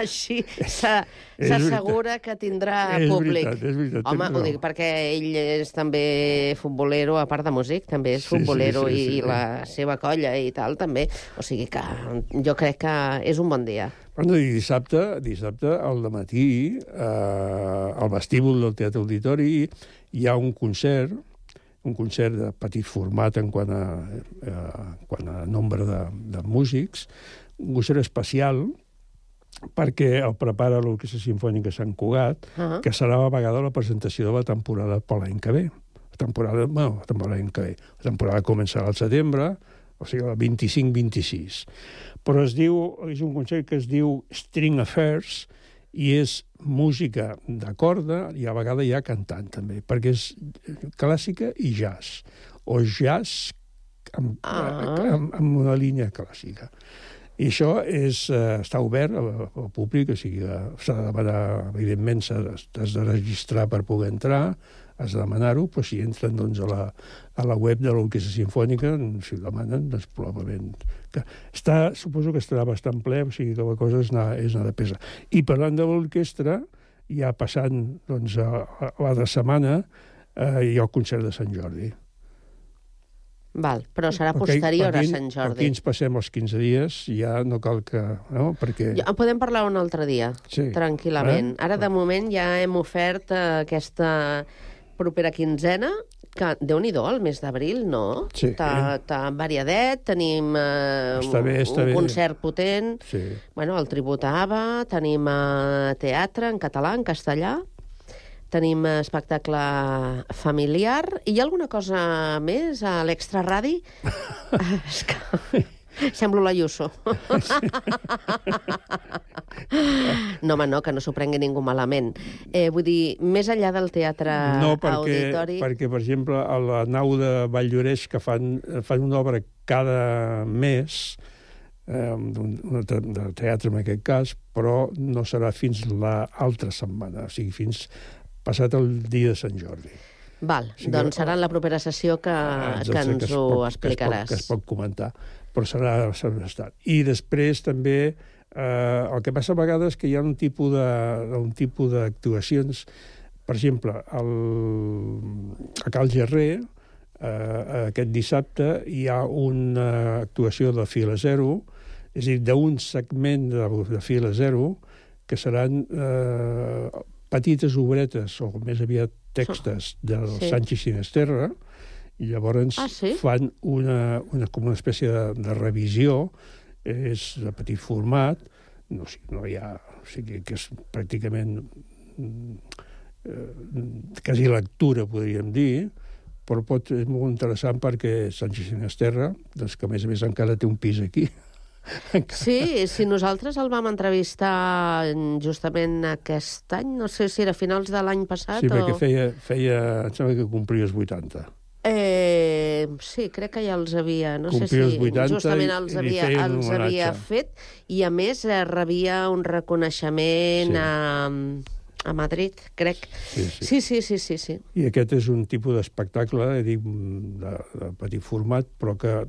Així s'assegura que tindrà públic. És veritat. Home, ho dic perquè ell és també futbolero, a part de músic, també és futbolero i la seva colla i tal, també. O sigui que jo crec que és un bon dia. Bueno, i dissabte, al dematí, al vestíbul del Teatre Auditori, hi ha un concert de petit format en quant a nombre de músics, un concert especial, perquè el prepara l'Orquestra Simfònica Sant Cugat, que serà a la vegada la presentació de la temporada per l'any que ve. La temporada començarà al setembre, o sigui, el 25-26. Però és un concert que es diu String Affairs, i és música de corda, i a vegades hi ha cantant, també, perquè és clàssica i jazz, o jazz amb una línia clàssica. I això està obert al públic, o sigui, s'ha de demanar, evidentment, has de registrar per poder entrar, has de demanar-ho, però si entren doncs, a la web de l'Orquestra Simfònica, si ho demanen, doncs probablement... Suposo que estarà bastant ple, o sigui que la cosa és anar de pesa. I parlant de l'orquestra, ja passant doncs, a l'altra setmana, hi ha el concert de Sant Jordi. Val, però serà posterior a Sant Jordi. Aquí ens passem els 15 dies, ja no cal que... No? Perquè... En podem parlar un altre dia, tranquil·lament. Ara, de moment, ja hem ofert aquesta propera quinzena, que Déu-n'hi-do, el mes d'abril, no? Sí. Està variadet, tenim un concert potent, bueno, el tribut a ABBA, tenim teatre en català, en castellà, tenim espectacle familiar. I hi ha alguna cosa més a l'Extraradi? És que... Semblo la Ayuso. No, home, no, que no s'ho prengui ningú malament. Vull dir, més enllà del teatre auditori... No, perquè, per exemple, a la nau de Valldoreix, que fan una obra cada mes, de teatre en aquest cas, però no serà fins l'altra setmana, o sigui, fins passat el dia de Sant Jordi. Val, doncs serà en la propera sessió que ens ho explicaràs. Que es pot comentar, però serà estat. I després també el que passa a vegades és que hi ha un tipus d'actuacions. Per exemple, a Cal Gerrer, aquest dissabte, hi ha una actuació de Fila Zero, és a dir, d'un segment de Fila Zero, que seran petites obretes, o més aviat textos del Sanchi Sinisterra, I llavors fan com una espècie de revisió, és de petit format, no hi ha... O sigui, que és pràcticament quasi lectura, podríem dir, però és molt interessant perquè Sánchez Sinisterra, doncs que a més encara té un pis aquí. Sí, si nosaltres el vam entrevistar justament aquest any, no sé si era a finals de l'any passat o... Sí, perquè feia... Em sembla que complia els 80. Sí, crec que ja els havia... No sé si justament els havia fet, i a més rebia un reconeixement a Madrid, crec. Sí. I aquest és un tipus d'espectacle, dic, de petit format, però que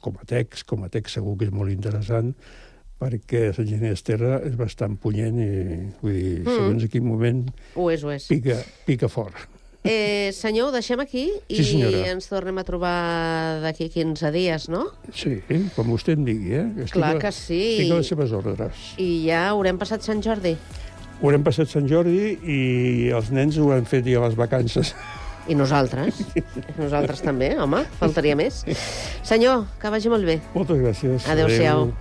com a text segur que és molt interessant, perquè Sant Sinisterra és bastant punyent i, vull dir, segons a quin moment pica fort. Senyor, ho deixem aquí i ens tornem a trobar d'aquí 15 dies, no? Sí, com vostè em digui, Clar que sí. Estic a les seves ordres. I ja haurem passat Sant Jordi. Haurem passat Sant Jordi i els nens ho han fet ja a les vacances. I nosaltres. Nosaltres també, home, faltaria més. Senyor, que vagi molt bé. Moltes gràcies. Adéu-siau.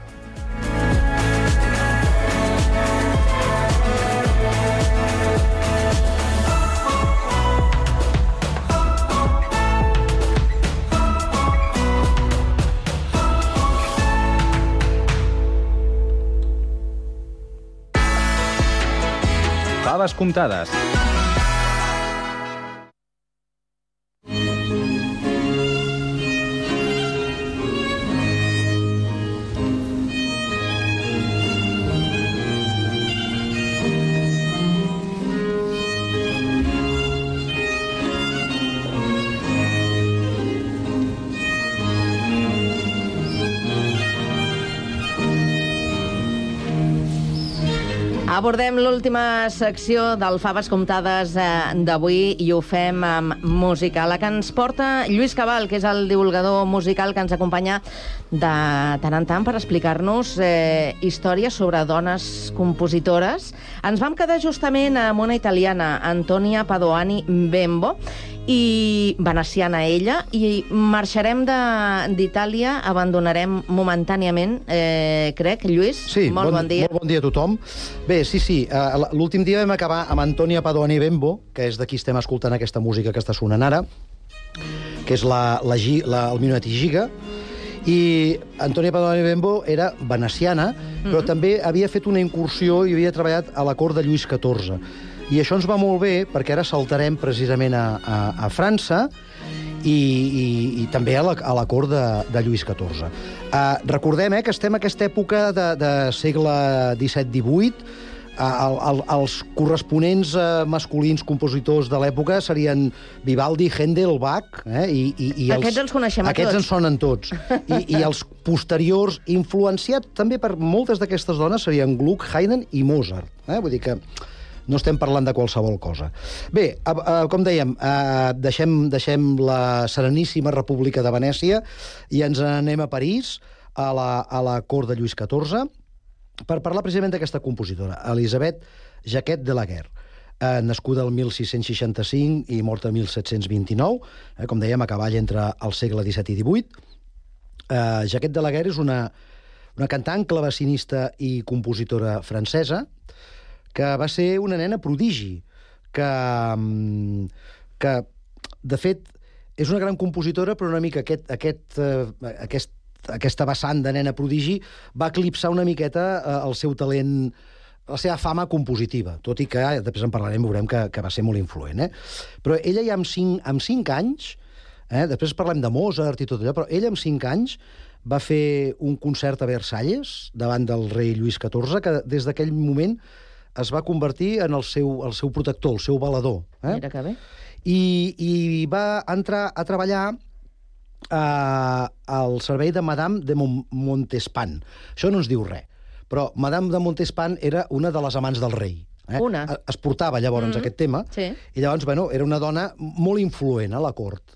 Faves comptades. Abordem l'última secció del Faves Comptades d'avui i ho fem amb música, la que ens porta Lluís Cabal, que és el divulgador musical que ens acompanya de tant en tant per explicar-nos històries sobre dones compositores. Ens vam quedar justament amb una italiana, Antonia Padoani Bembo, i veneciana ella, i marxarem d'Itàlia, abandonarem momentàniament, crec, Lluís? Sí, molt bon dia. Molt bon dia a tothom. Bé, sí, l'últim dia vam acabar amb Antonia Padoani Bembo, que és d'aquí estem escoltant aquesta música que està sonant ara, que és el Minuetti Giga, i Antonia Padoani Bembo era veneciana, però també havia fet una incursió i havia treballat a la cort de Lluís XIV. I això ens va molt bé, perquè ara saltarem precisament a França i també a la cort de Lluís XIV. Recordem que estem en aquesta època de segle XVII-XVIII. Els corresponents masculins compositors de l'època serien Vivaldi, Händel, Bach... Aquests els coneixem a tots. Aquests ens sonen tots. I els posteriors, influenciats també per moltes d'aquestes dones, serien Gluck, Haydn i Mozart. Vull dir que no estem parlant de qualsevol cosa. Bé, com dèiem, deixem la Sereníssima República de Venècia i ens anem a París, a la cort de Lluís XIV, per parlar precisament d'aquesta compositora, Elisabeth Jacquet de Laguerre, nascuda el 1665 i morta el 1729, com dèiem, a cavall entre el segle XVII i XVIII. Jacquet de Laguerre és una cantant, clavecinista i compositora francesa, que va ser una nena prodigi, que de fet, és una gran compositora, però una mica aquesta vessant de nena prodigi va eclipsar una miqueta el seu talent, la seva fama compositiva, tot i que, després en parlarem, veurem que va ser molt influent. Però ella ja amb 5 anys, després parlem de Mozart i tot allò, però ella amb 5 anys va fer un concert a Versalles davant del rei Lluís XIV, que des d'aquell moment es va convertir en el seu protector, el seu valedor. Mira que bé. I va entrar a treballar al servei de Madame de Montespan. Això no ens diu res, però Madame de Montespan era una de les amants del rei. Una. Es portava llavors aquest tema, i llavors, era una dona molt influent a la cort.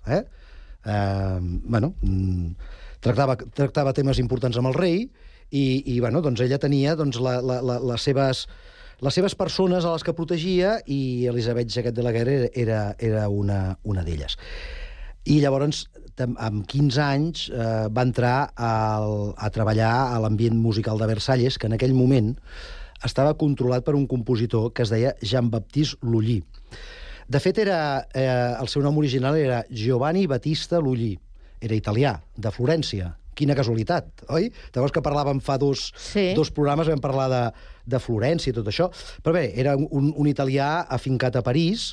Tractava temes importants amb el rei, i doncs ella tenia les seves persones a les que protegia, i Elisabeth Jacquet de Laguerre era una d'elles. I llavors, amb 15 anys, va entrar a treballar a l'ambient musical de Versalles, que en aquell moment estava controlat per un compositor que es deia Jean-Baptiste Lully. De fet, el seu nom original era Giovanni Battista Lully. Era italià, de Florència. Quina casualitat, oi? Llavors que parlàvem fa dos programes, vam parlar de Florència i tot això. Però bé, era un italià afincat a París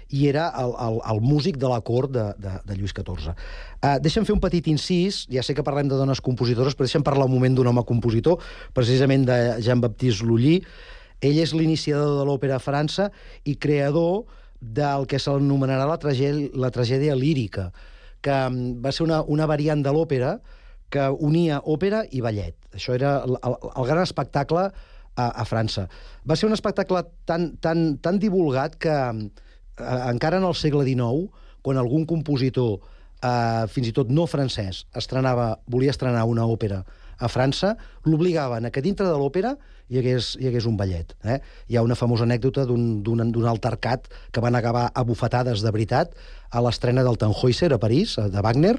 i era el músic de la cort de Lluís XIV. Deixa'm fer un petit incís, ja sé que parlem de dones compositores, però deixa'm parlar un moment d'un home compositor, precisament de Jean-Baptiste Lully. Ell és l'iniciador de l'òpera a França i creador del que s'anomenarà la tragèdia lírica, que va ser una variant de l'òpera que unia òpera i ballet. Això era el gran espectacle a França. Va ser un espectacle tan divulgat que encara en el segle XIX, quan algun compositor, fins i tot no francès, volia estrenar una òpera a França, l'obligaven a que dintre de l'òpera hi hagués un ballet. Hi ha una famosa anècdota d'un altercat que van acabar a bufetades de veritat a l'estrena del Tannhäuser a París, de Wagner,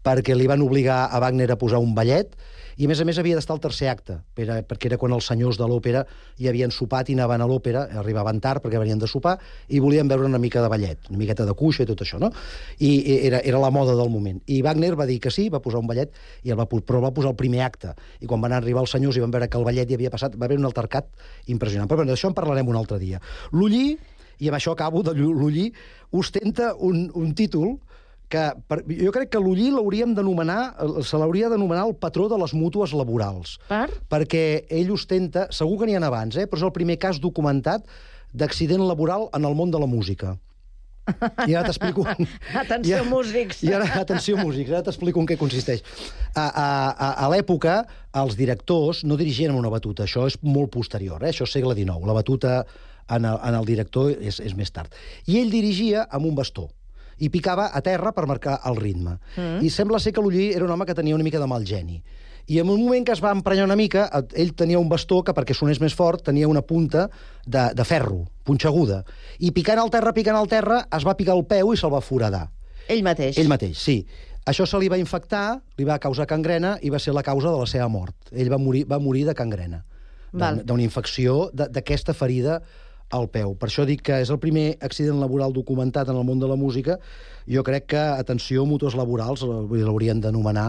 perquè li van obligar a Wagner a posar un ballet, i a més havia d'estar al tercer acte, perquè era quan els senyors de l'òpera hi havien sopat i anaven a l'òpera, arribaven tard perquè venien de sopar, i volien veure una mica de ballet, una miqueta de cuixa i tot això, no? I era la moda del moment. I Wagner va dir que sí, va posar un ballet, però va posar el primer acte. I quan van arribar els senyors i van veure que el ballet hi havia passat, va haver un altercat impressionant. Però bé, d'això en parlarem un altre dia. Lully, i amb això acabo, de Lully, ostenta un títol que jo crec que Lully se l'hauria d'anomenar el patró de les mútues laborals. Perquè ell ostenta, segur que n'hi ha abans, però és el primer cas documentat d'accident laboral en el món de la música. I ara t'explico... Atenció, músics! Atenció, músics, ara t'explico en què consisteix. A l'època, els directors no dirigien una batuta, això és molt posterior, això és segle XIX. La batuta en el director és més tard. I ell dirigia amb un bastó i picava a terra per marcar el ritme. I sembla ser que Lully era un home que tenia una mica de mal geni. I en un moment que es va emprenyar una mica, ell tenia un bastó que, perquè sonés més fort, tenia una punta de ferro, punxeguda. I picant al terra, es va picar el peu i se'l va foradar. Ell mateix? Ell mateix, sí. Això se li va infectar, li va causar gangrena i va ser la causa de la seva mort. Ell va morir de gangrena, d'una infecció d'aquesta ferida al peu. Per això dic que és el primer accident laboral documentat en el món de la música. Jo crec que, atenció, mútues laborals l'haurien d'anomenar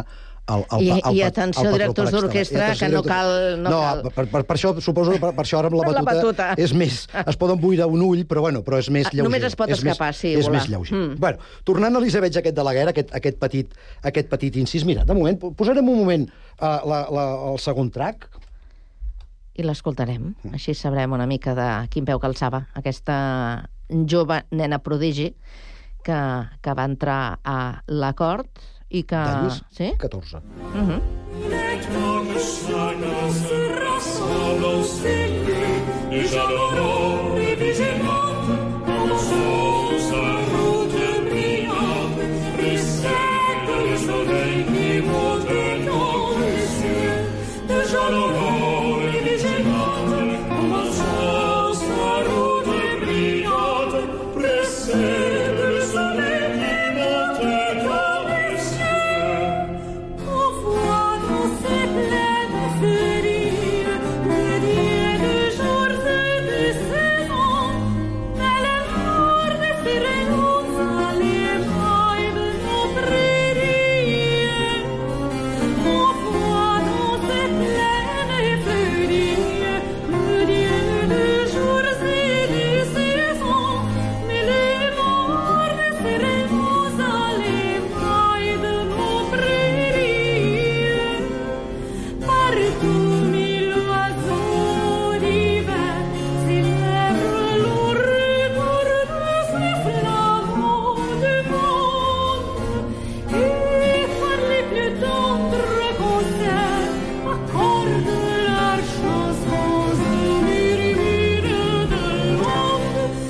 I atenció, directors d'orquestra, que no cal... Per això, suposo, per això ara amb la batuta és més... Es poden buidar un ull, però és més lleuger. Només es pot escapar, sí. És més lleuger. Bueno, tornant a l'Elisabet Jaquet de la Guerra, aquest petit incís, mira, de moment, posarem un moment el segon track. I l'escoltarem. Així sabrem una mica de quin peu calçava aquesta jove nena prodigi que va entrar a la cort i que... De Lluís XIV.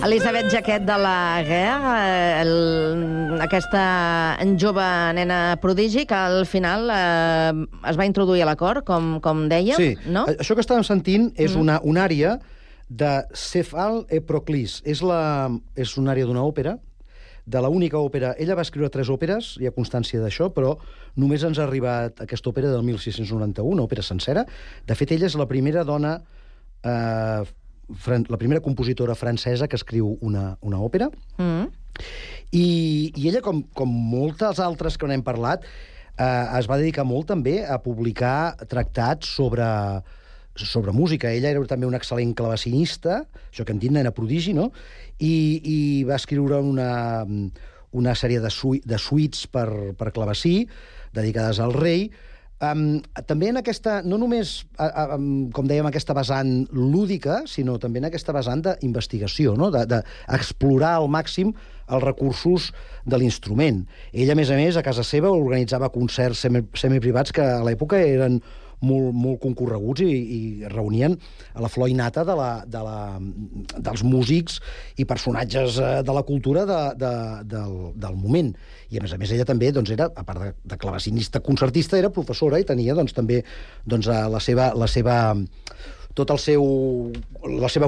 Elisabet Jaquet de la Guerra, aquesta jove nena prodigi que al final es va introduir a la cort, com dèiem, sí. No? Això que estàvem sentint és una àrea de Céphale et Proclis. És una àrea d'una òpera de l'única òpera. Ella va escriure 3 òperes, hi ha constància d'això, però només ens ha arribat aquesta òpera del 1691, una òpera sencera. De fet, ella és la primera dona, la primera compositora francesa que escriu una òpera. I ella, com moltes altres que n'hem parlat, es va dedicar molt també a publicar tractats sobre música. Ella era també un excel·lent clavecinista, això que hem dit nena prodigi, no? I va escriure una sèrie de suites per clavecí, dedicades al rei. També en aquesta, no només, com dèiem, aquesta vessant lúdica, sinó també en aquesta vessant d'investigació, no? D'explorar al màxim els recursos de l'instrument. Ella, a més, a casa seva organitzava concerts semiprivats que a l'època eren molt concorreguts i reunien a la flor innata dels músics i personatges de la cultura del moment. I, a més, ella també era, a part de clavecinista concertista, era professora i tenia també la seva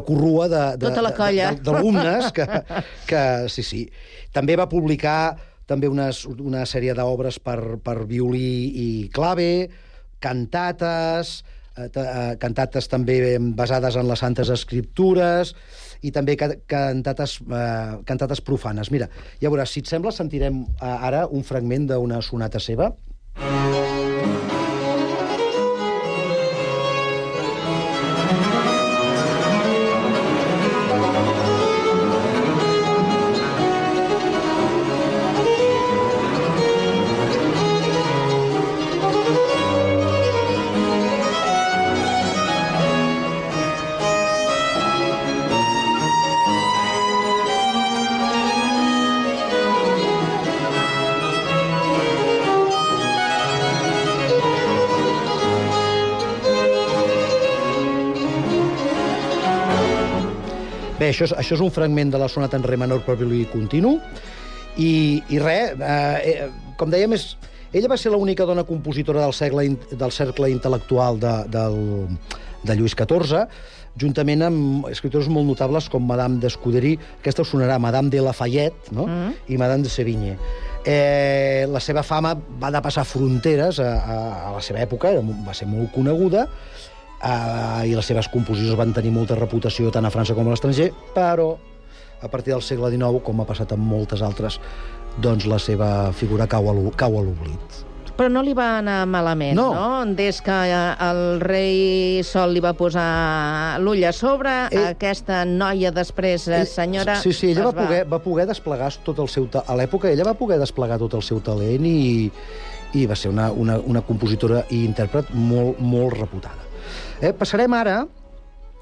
corrua d'alumnes que sí. També va publicar també una sèrie d'obres per violí i clave, cantates també basades en les Santes Escriptures i també cantates profanes. Mira, ja veuràs, si et sembla, sentirem ara un fragment d'una sonata seva. Bé, això és un fragment de la sonata en re menor per violí continu i res, com dèiem, ella va ser l'única dona compositora del cercle intel·lectual de Lluís XIV, juntament amb escriptors molt notables com Madame d'Escudery, aquesta us sonarà, Madame de Lafayette, no? I Madame de Sévigné. La seva fama va depassar fronteres a la seva època, va ser molt coneguda, i les seves composicions van tenir molta reputació tant a França com a l'estranger, però a partir del segle XIX, com ha passat amb moltes altres, doncs la seva figura cau a l'oblit. Però no li va anar malament, no? Des que el rei Sol li va posar l'ull a sobre, aquesta noia després, senyora... Sí, ella va poder desplegar tot el seu... A l'època ella va poder desplegar tot el seu talent i va ser una compositora i intèrpret molt reputada. Passarem ara,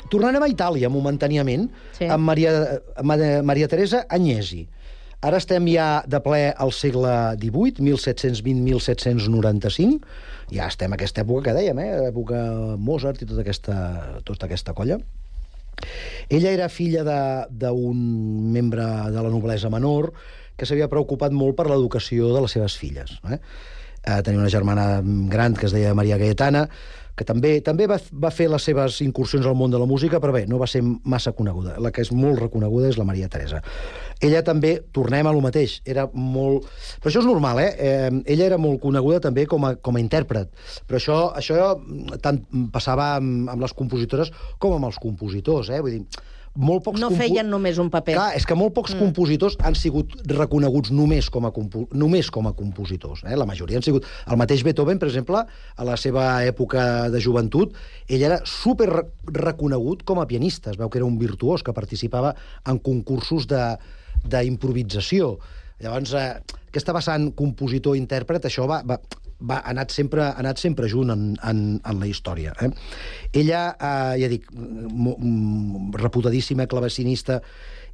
tornarem a Itàlia momentàniament, amb Maria Teresa Agnesi. Ara estem ja de ple al segle XVIII, 1720-1795, ja estem en aquesta època que dèiem, època Mozart i tota aquesta colla. Ella era filla d'un membre de la noblesa menor que s'havia preocupat molt per l'educació de les seves filles. Tenia una germana gran que es deia Maria Gaetana, que també va fer les seves incursions al món de la música, però bé, no va ser massa coneguda. La que és molt reconeguda és la Maria Teresa. Ella també, tornem a lo mateix, era molt... Però això és normal, Ella era molt coneguda també com a intèrpret, però això tant passava amb les compositores com amb els compositors, Vull dir, molt pocs feien només un paper. Clar, és que molt pocs compositors han sigut reconeguts només com a compositors. La majoria han sigut... El mateix Beethoven, per exemple, a la seva època de joventut, ell era super reconegut com a pianista. Es veu que era un virtuós que participava en concursos d'improvisació. Llavors, aquesta vessant compositor-intèrpret, això ha anat sempre junt en la història. Ella, ja dic, reputadíssima clavecinista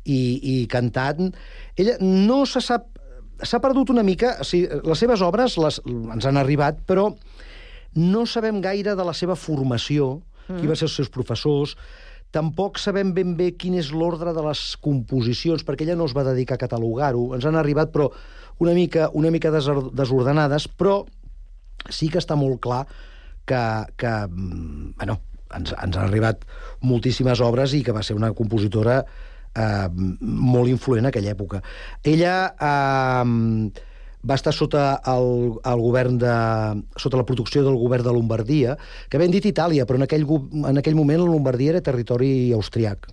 i cantant, ella no se sap... S'ha perdut una mica... O sigui, les seves obres ens han arribat, però no sabem gaire de la seva formació, qui va ser els seus professors. Tampoc sabem ben bé quin és l'ordre de les composicions, perquè ella no es va dedicar a catalogar-ho. Ens han arribat, però una mica desordenades, però sí que està molt clar que ens han arribat moltíssimes obres i que va ser una compositora molt influent en aquella època. Ella va estar sota el govern sota la protecció del govern de Lombardia, que ben dit Itàlia, però en aquell moment la Lombardia era territori austriac.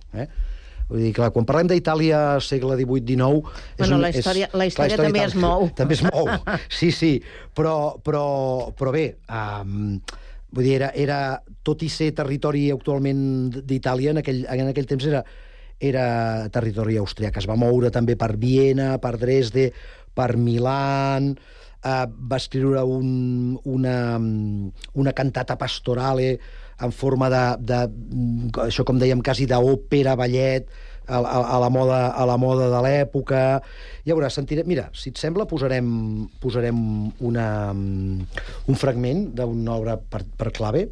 Vull dir, clar, quan parlem d'Itàlia segle XVIII-XIX... Bueno, la història també es mou. També es mou, sí. Però bé, vull dir, era tot i ser territori actualment d'Itàlia, en aquell temps era territori austriac. Es va moure també per Viena, per Dresde, per Milán, va escriure una cantata pastorale en forma de això, com dèiem, quasi d'òpera, ballet, a la moda de l'època. Ja veuràs, mira, si et sembla, posarem un fragment d'una obra per clave.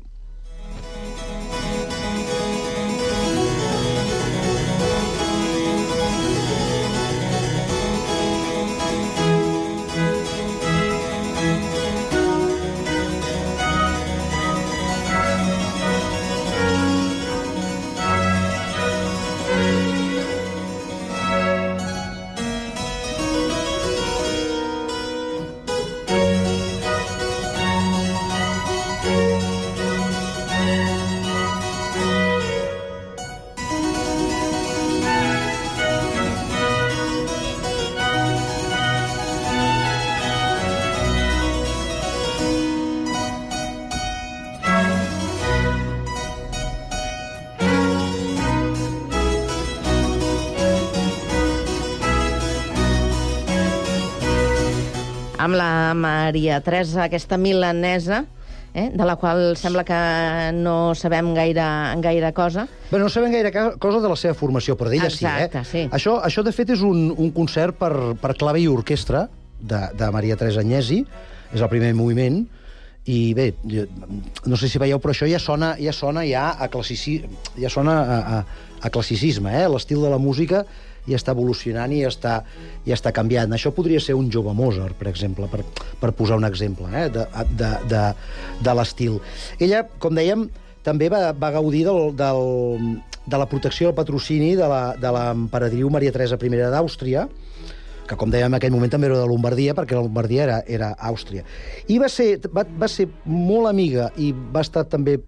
Amb la Maria Teresa, aquesta milanesa, de la qual sembla que no sabem gaire cosa. Bé, no sabem gaire cosa de la seva formació, però d'ella sí. Exacte, sí. Això, de fet, és un concert per clave i orquestra de Maria Teresa Agnesi, és el primer moviment, i bé, no sé si veieu, però això ja sona a classicisme, l'estil de la música ja està evolucionant i ja està canviant. Això podria ser un jove Mozart, per exemple, per posar un exemple de l'estil. Ella, com dèiem, també va gaudir de la protecció del patrocini de l'emperadriu Maria Teresa I d'Àustria, que, com dèiem, en aquell moment també era de Lombardia, perquè la Lombardia era Àustria. I va ser molt amiga i va estar també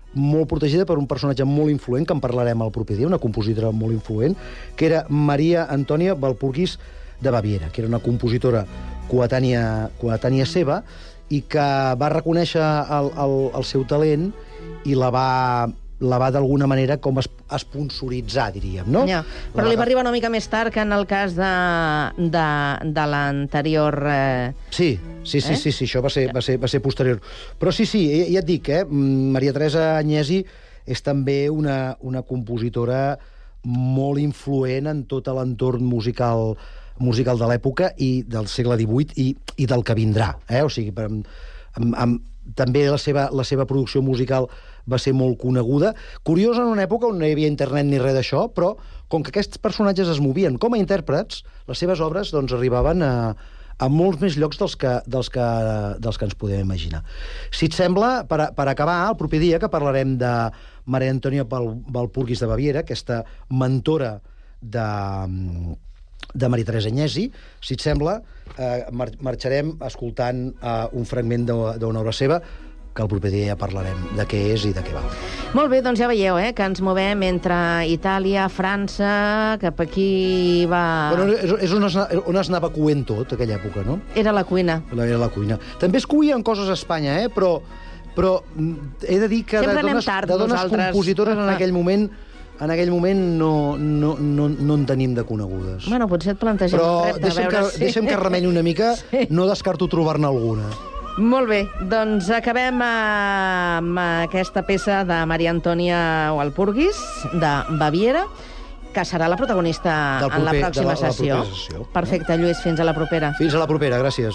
molt protegida per un personatge molt influent, que en parlarem el proper dia, una compositora molt influent, que era Maria Antònia Walpurgis de Baviera, que era una compositora coetània seva i que va reconèixer el seu talent i la va d'alguna manera com esponsoritzar, diríem, no? Ja, però li va arribar una mica més tard que en el cas de l'anterior... Sí, això va ser posterior. Però sí, ja et dic, Maria Teresa Agnesi és també una compositora molt influent en tot l'entorn musical de l'època i del segle XVIII i del que vindrà. O sigui, també la seva producció musical va ser molt coneguda. Curiosa en una època on no hi havia internet ni res d'això, però com que aquests personatges es movien com a intèrprets, les seves obres doncs, arribaven a molts més llocs dels que ens podem imaginar. Si et sembla, per acabar, el proper dia que parlarem de Maria Antònia Walpurgis de Baviera, aquesta mentora de Maria Teresa Agnesi, si et sembla, marxarem escoltant un fragment d'una obra seva, que el proper dia ja parlarem de què és i de què va. Molt bé, doncs ja veieu, que ens movem entre Itàlia, França, cap aquí va... Bueno, és on es anava coent tot, aquella època, no? Era la cuina. Era la cuina. També es coïen coses a Espanya, però he de dir que de dones compositores en aquell moment no en tenim de conegudes. Bueno, potser et plantegem un repte, a veure si... Deixa'm que remenyi una mica, no descarto trobar-ne alguna. Molt bé, doncs acabem amb aquesta peça de Maria Antònia Walpurgis, de Baviera, que serà la protagonista en la pròxima sessió. Perfecte, Lluís, fins a la propera. Fins a la propera, gràcies.